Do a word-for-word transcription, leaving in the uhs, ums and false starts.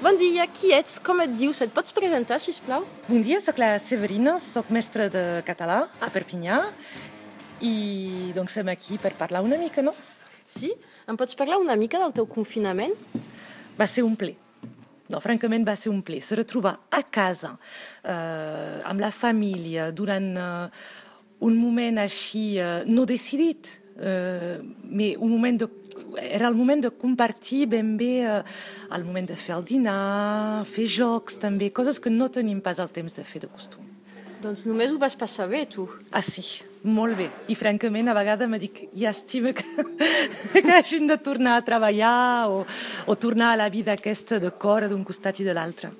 Bon dia, qui ets? Com et dius? Et pots presentar, sisplau? Bon dia, soc la Severina, soc mestra de català a Perpinyà i doncs som aquí per parlar una mica, no? Sí? Em pots parlar una mica del teu confinament? Va ser un ple. No, francament va ser un ple. Se retrobar a casa, eh, amb la família, durant eh, un moment així eh, no decidit, eh, mais un moment de era el moment de compartir ben bé eh, el moment de fer el dinar, fer jocs també, coses que no tenim pas el temps de fer de costum. Doncs només ho vas passar bé, tu. Ah, sí, molt bé. I francament a vegades me dic, llàstima que, que hagin de tornar a treballar o, o tornar a la vida aquesta de cor d'un costat i de l'altre.